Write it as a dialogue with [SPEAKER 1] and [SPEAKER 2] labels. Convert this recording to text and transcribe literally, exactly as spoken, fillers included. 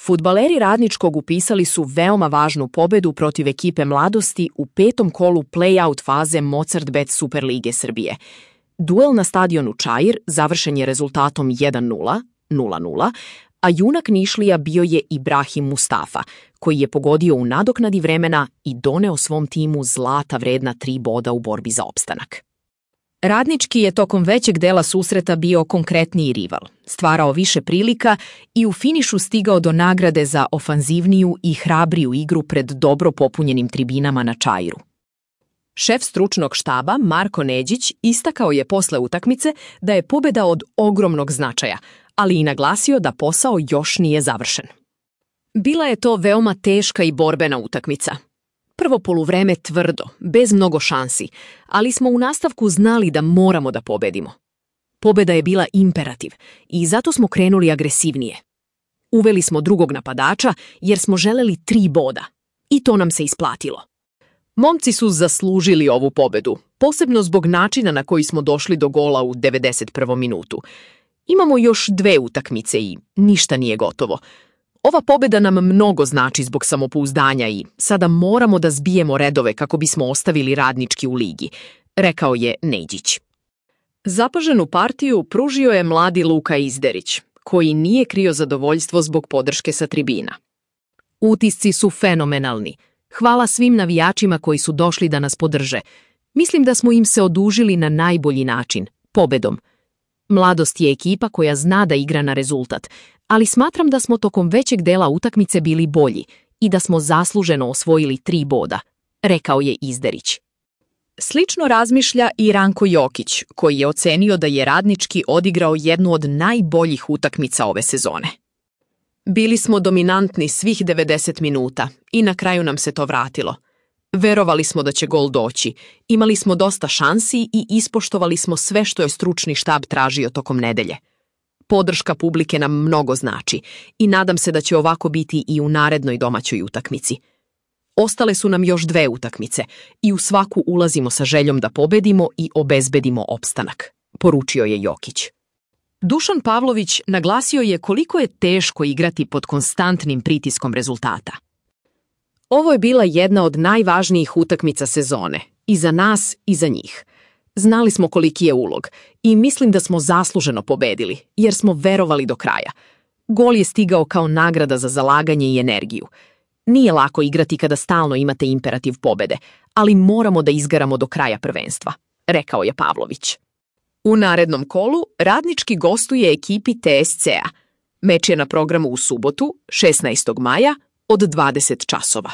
[SPEAKER 1] Fudbaleri Radničkog upisali su veoma važnu pobedu protiv ekipe Mladosti u petom kolu play-out faze Mozart Bet Superlige Srbije. Duel na stadionu Čair završen je rezultatom jedan nula, nula nula, a junak Nišlija bio je Ibrahim Mustafa, koji je pogodio u nadoknadi vremena i doneo svom timu zlata vredna tri boda u borbi za opstanak. Radnički je tokom većeg dela susreta bio konkretniji rival, stvarao više prilika i u finišu stigao do nagrade za ofanzivniju i hrabriju igru pred dobro popunjenim tribinama na Čairu. Šef stručnog štaba Marko Neđić istakao je posle utakmice da je pobeda od ogromnog značaja, ali i naglasio da posao još nije završen. Bila je to veoma teška i borbena utakmica. Prvo poluvreme tvrdo, bez mnogo šansi, ali smo u nastavku znali da moramo da pobedimo. Pobeda je bila imperativ i zato smo krenuli agresivnije. Uveli smo drugog napadača jer smo želeli tri boda i to nam se isplatilo. Momci su zaslužili ovu pobedu, posebno zbog načina na koji smo došli do gola u devedeset prvom minutu. Imamo još dve utakmice i ništa nije gotovo. Ova pobeda nam mnogo znači zbog samopouzdanja i sada moramo da zbijemo redove kako bismo ostavili Radnički u ligi, rekao je Neđić. Zapaženu partiju pružio je mladi Luka Izderić, koji nije krio zadovoljstvo zbog podrške sa tribina. Utisci su fenomenalni. Hvala svim navijačima koji su došli da nas podrže. Mislim da smo im se odužili na najbolji način, pobedom. Mladost je ekipa koja zna da igra na rezultat, ali smatram da smo tokom većeg dela utakmice bili bolji i da smo zasluženo osvojili tri boda, rekao je Izderić. Slično razmišlja i Ranko Jokić, koji je ocenio da je Radnički odigrao jednu od najboljih utakmica ove sezone. Bili smo dominantni svih devedeset minuta i na kraju nam se to vratilo. Verovali smo da će gol doći, imali smo dosta šansi i ispoštovali smo sve što je stručni štab tražio tokom nedelje. Podrška publike nam mnogo znači i nadam se da će ovako biti i u narednoj domaćoj utakmici. Ostale su nam još dve utakmice i u svaku ulazimo sa željom da pobedimo i obezbedimo opstanak, poručio je Jokić. Dušan Pavlović naglasio je koliko je teško igrati pod konstantnim pritiskom rezultata. Ovo je bila jedna od najvažnijih utakmica sezone, i za nas i za njih. Znali smo koliki je ulog i mislim da smo zasluženo pobedili, jer smo verovali do kraja. Gol je stigao kao nagrada za zalaganje i energiju. Nije lako igrati kada stalno imate imperativ pobede, ali moramo da izgaramo do kraja prvenstva, rekao je Pavlović. U narednom kolu Radnički gostuje ekipi T S C-a. Meč je na programu u subotu, šesnaestog maja, od dvadeset časova.